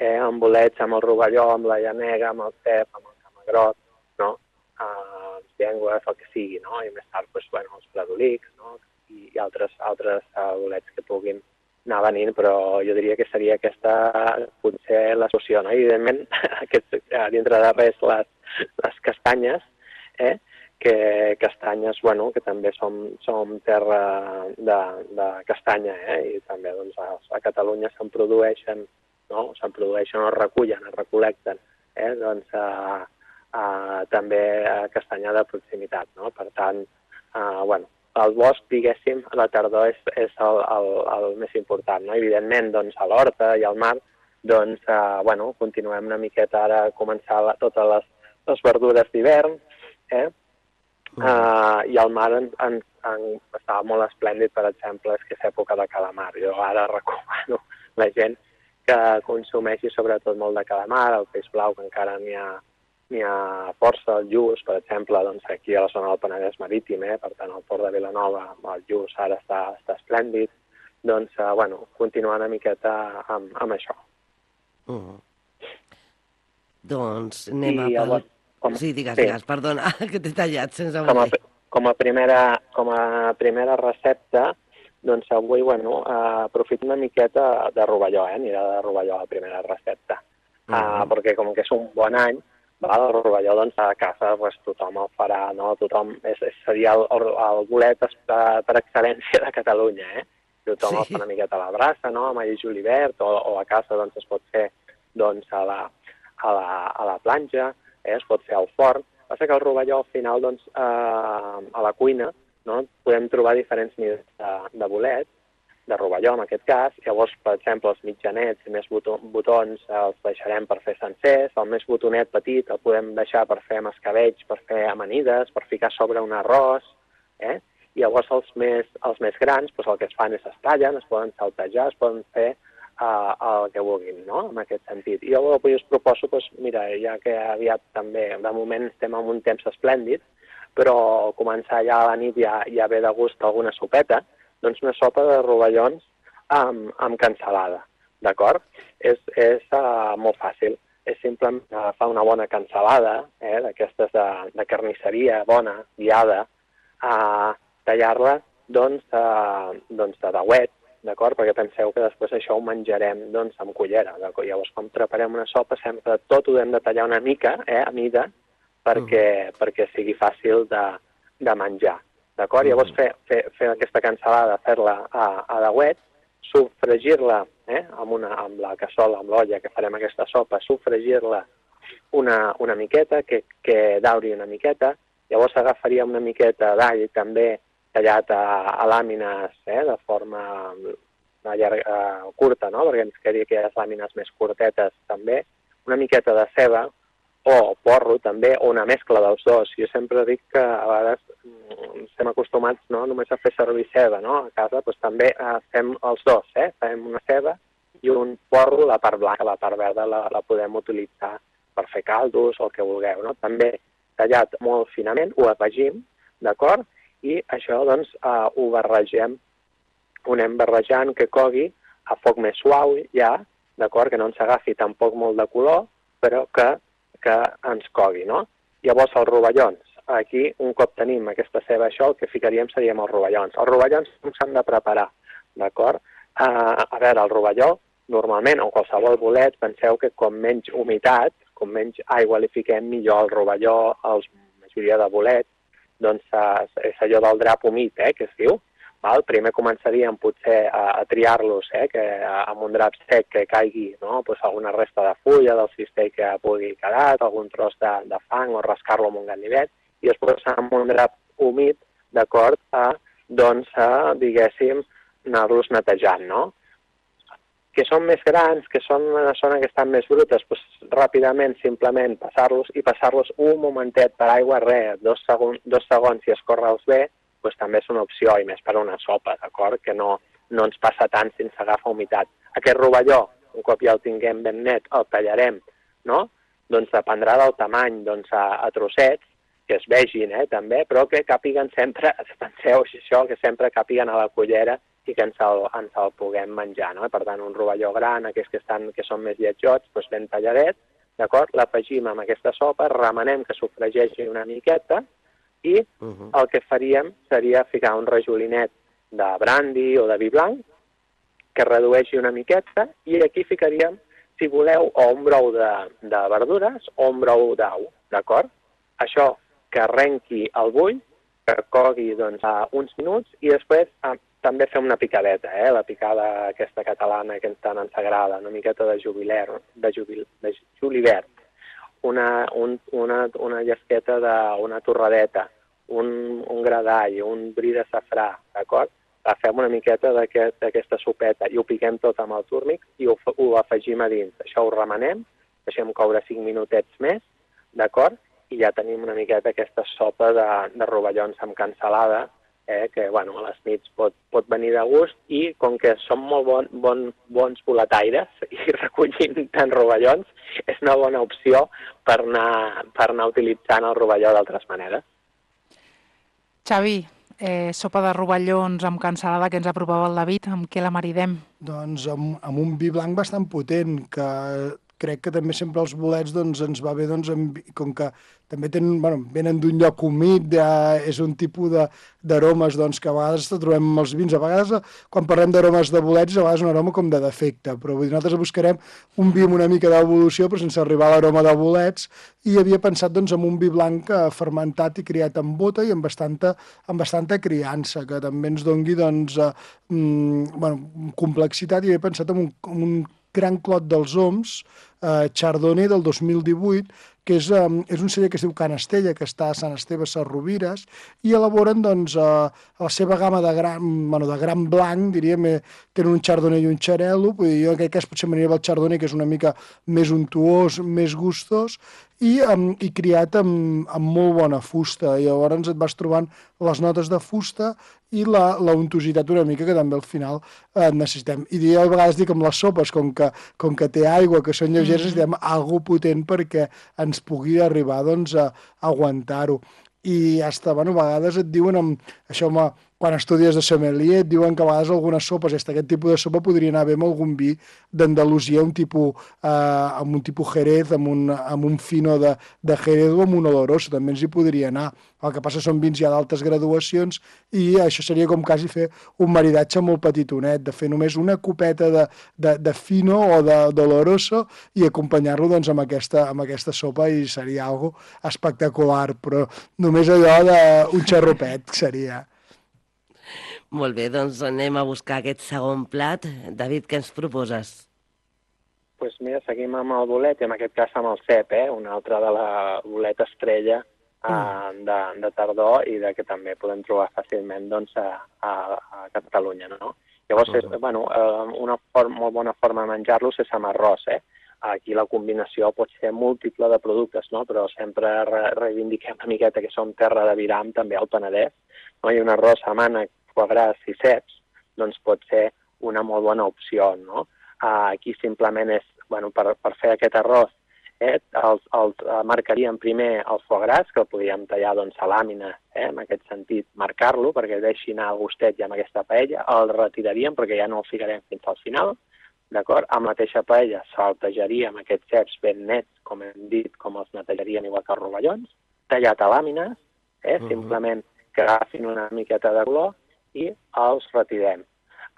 amb bolets, amb el rovelló, amb la llanega, amb el cep, amb el camagrot, no? Les llengües, el que sigui, no? I més tard, doncs, bueno, els pladolics, no? I altres bolets que puguin anar venint, però jo diria que seria aquesta potser la solució, no? I evidentment, dintre de res, les castanyes, que castanyes, bueno, que també som terra de castanya, i també doncs, a Catalunya se'n produeixen, no? Se'n produeixen o es recullen, es recolecten, doncs també castanya de proximitat, no? Per tant, bueno, el bosc, diguéssim, a la tardor és el més important, no? Evidentment, doncs, a l'horta i al mar, doncs, bueno, continuem una miqueta ara a començar totes les verdures d'hivern, i al mar estava molt esplèndid, per exemple, és que és època de calamar. Jo ara recomano a la gent que consumeixi sobretot molt de calamar, el peix blau, que encara n'hi ha força, el lluç, per exemple, doncs aquí a la zona del Penedès marítim, per tant, al port de Vilanova, el lluç ara està esplèndid, doncs, bueno, continuar una miqueta amb això. Doncs anem a... Sí, digues, perdona, que t'he tallat sense voler. Com a primera recepta, doncs avui, bueno, aprofito una miqueta de rovelló, anirà de rovelló a la primera recepta, perquè com que és un bon any, el rovelló, doncs, a casa tothom el farà, no? Seria el bolet per excel·lència de Catalunya, Tothom el fa una miqueta a la brasa, no? Amb all i julivert, o a casa, doncs, es pot fer, doncs, a la planxa, es pot fer al forn. Passa que el rovelló, al final, doncs, a la cuina, no? Podem trobar diferents nivells de bolet, de rovelló, en aquest cas. Llavors, per exemple, els mitjanets i més botons els deixarem per fer sencers. El més botonet petit el podem deixar per fer mascavells, per fer amanides, per ficar sobre un arròs. I llavors els més grans, doncs, el que es fan és es tallen, es poden saltejar, es poden fer el que vulguin, no?, en aquest sentit. I jo avui us proposo, doncs, mira, ja que aviat també, de moment estem en un temps esplèndid, però començar ja a la nit ja ve de gust alguna sopeta, doncs una sopa de rovellons amb cansalada, d'acord? És molt fàcil. És simplement agafar una bona cansalada, d'aquestes de carnisseria bona, guiada, tallar-la, doncs, de dauet, d'acord? Perquè penseu que després això ho menjarem, doncs, amb cullera. Llavors, quan preparem una sopa, sempre tot ho hem de tallar una mica, a mida, perquè sigui fàcil de menjar, d'acord? Llavors, fer aquesta cansalada, fer-la a dauet, sofregir-la amb la cassola, amb l'olla que farem aquesta sopa, sofregir-la una miqueta, que dauri una miqueta. Llavors agafaríem una miqueta d'all també tallat a làmines de forma curta, no?, perquè ens quedi aquelles làmines més curtetes també, una miqueta de ceba o porro també, o una mescla dels dos. Jo sempre dic que a vegades estem acostumats, no?, només a fer servir ceba, no?, a casa, doncs també fem els dos, fem una ceba i un porro, la part blanca, la part verda la podem utilitzar per fer caldos o el que vulgueu, no?, també tallat molt finament, ho afegim, d'acord? I això, doncs, ho barregem, ho anem barrejant, que cogui a foc més suau ja, d'acord? Que no ens agafi tampoc molt de color, però que ens cogui, no? Llavors, els rovellons. Aquí, un cop tenim aquesta ceba, això, el que ficaríem serien els rovellons. Els rovellons com s'han de preparar, d'acord? A veure, el rovelló, normalment, o qualsevol bolet, penseu que com menys humitat, com menys aigua li fiquem, millor el rovelló, la majoria de bolets, doncs és allò del drap humit, que es diu. Primer començaríem potser a triar-los, que amb un drap sec que caigui, no?, alguna resta de fulla del cistell que pugui quedar, algun tros de fang, o rascar-lo amb un ganivet, i després amb un drap humit, d'acord, doncs, diguéssim, anar-los netejant, no? que són més grans, que són una zona que estan més brutes, doncs ràpidament simplement passar-los un momentet per aigua, dos segons si escorre'ls bé, doncs també és una opció, i més per a una sopa, d'acord? Que no ens passa tant sense agafar humitat. Aquest rovelló, un cop ja el tinguem ben net, el tallarem, no? Doncs dependrà del tamany, doncs a trossets, que es vegin, també, però que càpiguen sempre, penseu això, que sempre càpiguen a la cullera i que ens el puguem menjar, no? Per tant, un rovelló gran, aquells que són més lletjots, doncs ben talladet, d'acord? L'afegim amb aquesta sopa, remenem que sofregeixi una miqueta i el que faríem seria ficar un rajolinet de brandy o de vi blanc que redueixi una miqueta i aquí ficaríem, si voleu, o un brou de verdures o un brou d'au, d'acord? Això que arrenqui el bull, que cogui doncs, uns minuts i després també fem una picadeta, la picada aquesta catalana que tant ens agrada, una miqueta de julivert, una llesqueta d'una torradeta, un gra d'all, un bri de safrà, d'acord? Fem una miqueta d'aquesta sopeta i ho piquem tot amb el túrmic i ho afegim a dins. Això ho remenem, deixem coure 5 minutets més, d'acord? I ja tenim una miqueta aquesta sopa de rovellons amb cansalada, que a les nits pot venir de gust i com que som molt bons boletaires i recollim tant rovellons, és una bona opció per anar utilitzant el rovelló d'altres maneres. Xavi, sopa de rovellons amb cansalada que ens aprovava el David, amb què la maridem? Doncs amb un vi blanc bastant potent, que crec que també sempre els bolets ens va bé, com que també venen d'un lloc humit, és un tipus d'aromes que a vegades trobem amb els vins. A vegades, quan parlem d'aromes de bolets, a vegades un aroma com de defecte, però nosaltres buscarem un vi amb una mica d'evolució, però sense arribar a l'aroma de bolets, i havia pensat en un vi blanc fermentat i criat amb bota i amb bastanta criança, que també ens dongui complexitat, i havia pensat en un gran clot dels Oms, Chardonnay del 2018, que és un celler que es diu Can Estella, que està a Sant Esteve Sesrovires, i elaboren la seva gamma de gran blanc, diríem, tenen un Chardonnay i un Xarel·lo, vull dir, jo en aquest cas potser m'aniria el Chardonnay, que és una mica més untuós, més gustós, i criat amb molt bona fusta. I llavors et vas trobant les notes de fusta i la untositat una mica, que també al final necessitem. I jo a vegades dic amb les sopes, com que té aigua, que són lleugeres, necessitem alguna potent perquè ens pugui arribar a aguantar-ho. I a vegades et diuen, quan estudies de sommelier, et diuen que a vegades algunes sopes, aquest tipus de sopa podria anar bé amb algun vi d'Andalusia, amb un tipus Jerez, amb un fino de Jerez o amb un oloroso, també ens hi podria anar. El que passa són vins ja d'altes graduacions i això seria com quasi fer un maridatge molt petitonet, de fer només una copeta de fino o d'oloroso i acompanyar-lo amb aquesta sopa, i seria algo espectacular, però només allò d'un xarrupet seria. Molt bé, doncs anem a buscar aquest segon plat. David, què ens proposes? Doncs mira, seguim amb el bolet, i en aquest cas amb el cep, una altra de la boleta estrella de tardor i que també podem trobar fàcilment a Catalunya, no? Llavors, una molt bona forma de menjar-los és amb arròs, Aquí la combinació pot ser múltiple de productes, no? Però sempre reivindiquem una miqueta que som terra de viram, també al Penedès, no? I un arròs a mànec, foie gras i ceps, doncs pot ser una molt bona opció, no? Aquí simplement és, per fer aquest arròs, marcaríem primer el foie gras, que el podríem tallar a làmines, en aquest sentit, marcar-lo, perquè deixi anar el gustet ja amb aquesta paella, el retiraríem perquè ja no el ficarem fins al final, d'acord? Amb la mateixa paella saltejaríem aquests ceps ben nets, com hem dit, com els netejaríem igual que els rovellons, tallat a làmines, simplement que agafin una miqueta de color, i els retirem.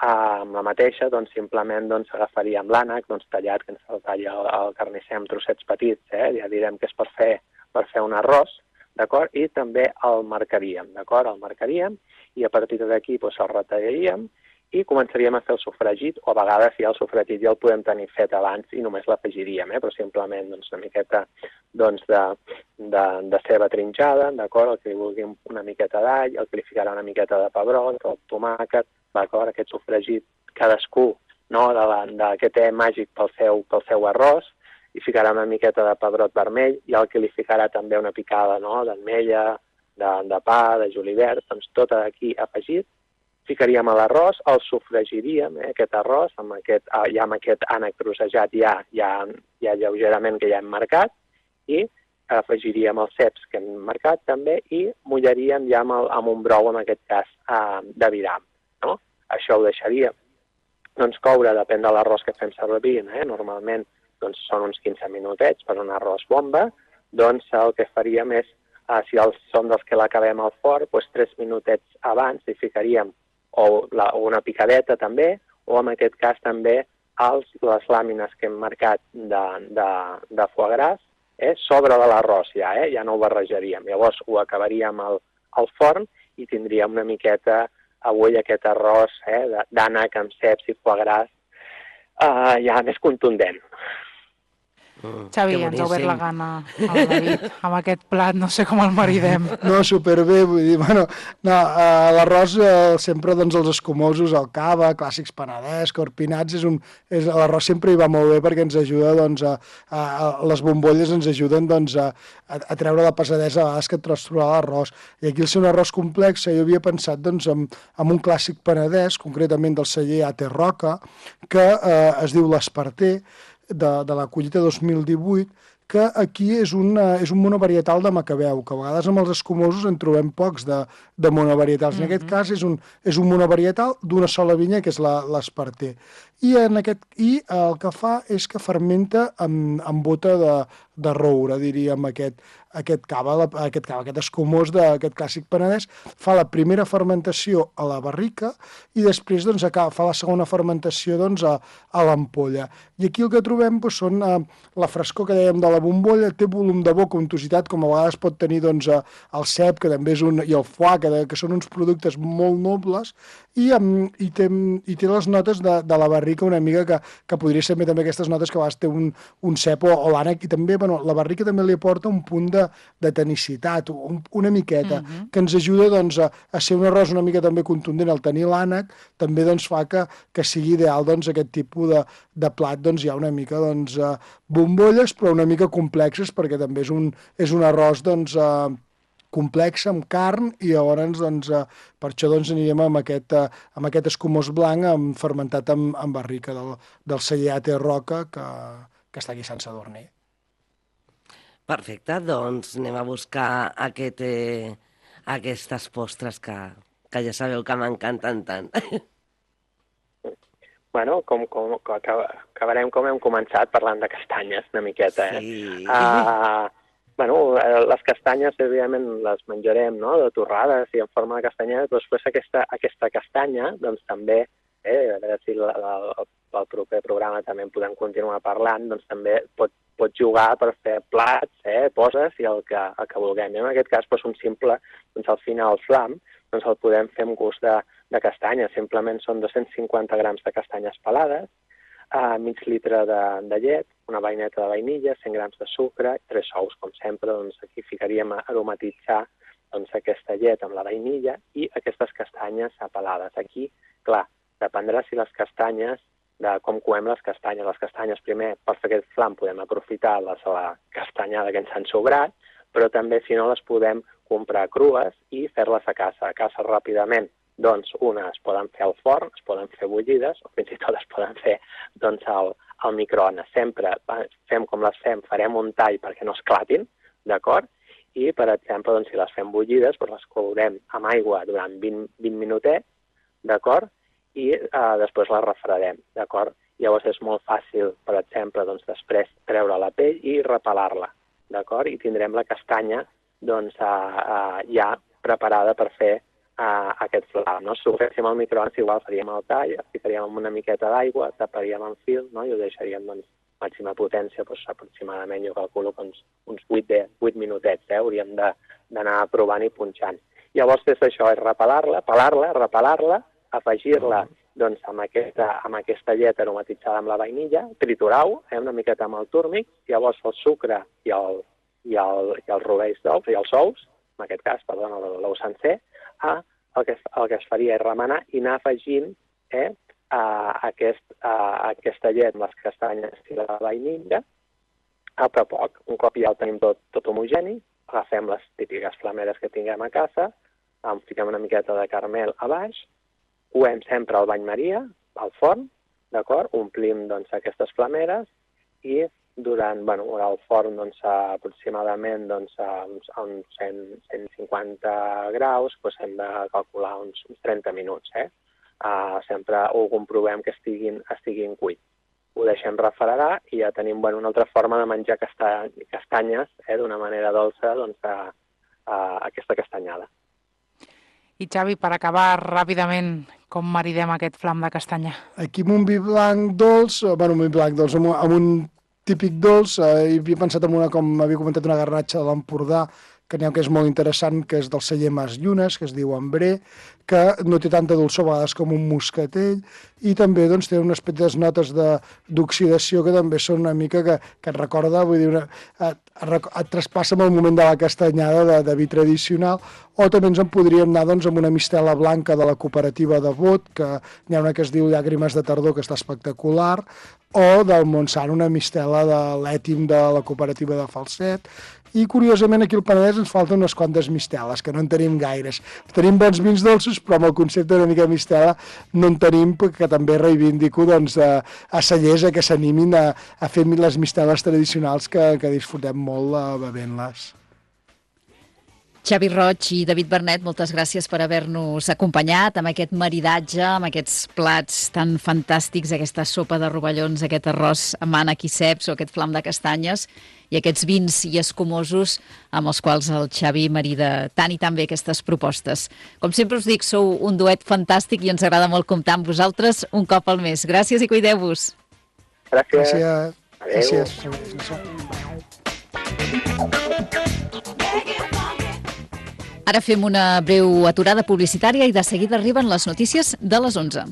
Amb la mateixa, simplement agafaríem l'ànec tallat, que ens el talla el carnisser amb trossets petits, ja direm que és per fer un arròs, d'acord? I també el marcaríem, d'acord? El marcaríem i a partir d'aquí el retallaríem i començaríem a fer el sofregit, o a vegades ja el sofregit ja el podem tenir fet abans i només l'afegiríem, però simplement una miqueta de ceba trinxada, d'acord? El que li vulgui una miqueta d'all, el que li ficarà una miqueta de pebrot, el tomàquet, d'acord? Aquest sofregit, cadascú no? Que té màgic pel seu arròs, hi ficarà una miqueta de pebrot vermell i el que li ficarà també una picada, no? D'ametlla, de pa, de julivert, doncs tot aquí afegit. Ficaríem a l'arròs, el sofregiríem, aquest arròs, amb aquest ànec trossejat ja lleugerament que ja hem marcat, i afegiríem els ceps que hem marcat també i mullaríem ja amb un brou, en aquest cas, d'aviram. No? Això ho deixaríem coure, depèn de l'arròs que fem servir, normalment són uns 15 minutets per un arròs bomba, doncs el que faríem és, si són dels que l'acabem al forn, 3 minutets abans hi ficaríem o una picadeta també, o en aquest cas també les làmines que hem marcat de foie gras sobre de l'arròs ja no ho barrejaríem. Llavors ho acabaríem al forn i tindríem una miqueta avui aquest arròs d'ànec amb ceps i foie gras ja més contundent. Xavi, ens ha obert la gana al David amb aquest plat, no sé com el maridem. No, superbé, vull dir, l'arròs sempre, els escumosos, el cava, clàssics penedès, corpinats, l'arròs sempre hi va molt bé perquè ens ajuda, les bombolles ens ajuden a treure la pesadesa a vegades que et trobes trobar l'arròs. I aquí, al ser un arròs complex, jo havia pensat en un clàssic penedès, concretament del celler A.T. Roca, que es diu l'Esparter, de la collita 2018, que aquí és un monovarietal de macabeu, que a vegades amb els escumosos en trobem pocs de monovarietals. En aquest cas és un monovarietal d'una sola vinya, que és l'Esparter. I el que fa és que fermenta amb bota de roure, diríem, aquest cava, aquest escumós d'aquest clàssic penedès, fa la primera fermentació a la barrica i després fa la segona fermentació a l'ampolla. I aquí el que trobem són la frescor que dèiem de la bombolla, té volum de boca, untositat, com a vegades pot tenir el cep, que també és i el foie, que són uns productes molt nobles, i té les notes de la barrica una mica, que podria ser també aquestes notes que a vegades té un cep o l'ànec, i també la barrica també li aporta un punt de tenicitat, una miqueta, que ens ajuda a ser un arròs una mica també contundent. Al tenir l'ànec també fa que sigui ideal aquest tipus de plat, hi ha una mica bombolles, però una mica complexes, perquè també és un arròs complex, amb carn, i llavors per això anirem amb aquest escumós blanc fermentat amb barrica del celler A.T. Roca, que està aquí a Sant Sadurní. Perfecte, doncs anem a buscar aquestes postres que ja sabeu que m'encanten tant. Bueno, acabarem com hem començat, parlant de castanyes una miqueta. Sí. Les castanyes, evidentment, les menjarem, no?, de torrades i en forma de castanyet, però després aquesta castanya, doncs també, a veure si el proper programa també en podem continuar parlant, doncs també pot jugar per fer plats, poses i el que vulguem. En aquest cas, un simple, al final, el flam, el podem fer amb gust de castanya. Simplement són 250 grams de castanyes pelades, mig litre de llet, una vaineta de vainilla, 100 grams de sucre, 3 ous, com sempre. Aquí ficaríem a aromatitzar aquesta llet amb la vainilla i aquestes castanyes pelades. Aquí, clar, dependrà si les castanyes, de com coem les castanyes. Les castanyes, primer, per fer aquest flam, podem aprofitar la castanyada que ens han sobrat, però també, si no, les podem comprar crues i fer-les a casa. A casa ràpidament, unes es poden fer al forn, es poden fer bullides, o fins i tot es poden fer al microones. Sempre fem com les fem, farem un tall perquè no esclatin, d'acord? I, per exemple, si les fem bullides, les courem amb aigua durant 20 minutets, d'acord? I després la refredem, d'acord? Llavors és molt fàcil, per exemple, després treure la pell i repelar-la, d'acord? I tindrem la castanya ja preparada per fer aquest flam, no? Si ho féssim al microones, igual faríem el tall, ficaríem amb una miqueta d'aigua, taparíem amb fil, no? I ho deixaríem màxima potència, aproximadament, jo calculo que uns 8 minutets, hauríem d'anar provant i punxant. Llavors, des d'això és repelar-la, repelar-la, afegir-la amb aquesta llet aromatitzada amb la vainilla, triturar-ho una miqueta amb el túrmic, llavors el sucre i els rovells d'ous, i els ous, en aquest cas, l'ou sencer, el que es faria és remenar i anar afegint aquesta llet amb les castanyes i la vainilla a poc a poc. Un cop ja el tenim tot homogeni, agafem les típiques flameres que tinguem a casa, fiquem una miqueta de caramel a baix, coem sempre al bany Maria, al forn, d'acord? Omplim aquestes flameres i durant el forn aproximadament a uns 150 graus hem de calcular uns 30 minuts. Sempre ho comprovem que estiguin cuits. Ho deixem refredar i ja tenim una altra forma de menjar castanyes d'una manera dolça, aquesta castanyada. I Xavi, per acabar ràpidament, com maridem aquest flam de castanya? Aquí amb un vi blanc dolç, amb un típic dolç, havia pensat en com havia comentat, una garnatxa de l'Empordà, que n'hi ha que és molt interessant, que és del celler Mas Llunes, que es diu Ambré, que no té tanta dolçor a vegades com un moscatell, i també té unes petites notes d'oxidació que també són una mica que et recorda, vull dir, et traspassa amb el moment de la castanyada de vi tradicional, o també ens en podríem anar amb una mistela blanca de la cooperativa de Bot, que n'hi ha una que es diu Llàgrimes de tardor, que està espectacular, o del Montsant, una mistela de l'Ètim de la cooperativa de Falset. I, curiosament, aquí al Penedès ens falten unes quantes misteles, que no en tenim gaires. Tenim bons vins dolços, però amb el concepte una mica mistela no en tenim, que també reivindico a cellers que s'animin a fer les misteles tradicionals que disfrutem molt bevent-les. Xavi Roig i David Bernet, moltes gràcies per haver-nos acompanyat amb aquest maridatge, amb aquests plats tan fantàstics, aquesta sopa de rovellons, aquest arròs amb ànec i ceps o aquest flam de castanyes i aquests vins i escumosos amb els quals el Xavi marida tan i tan bé aquestes propostes. Com sempre us dic, sou un duet fantàstic i ens agrada molt comptar amb vosaltres un cop al mes. Gràcies i cuideu-vos. Gràcies. Gràcies. Ara fem una breu aturada publicitària i de seguida arriben les notícies de les 11.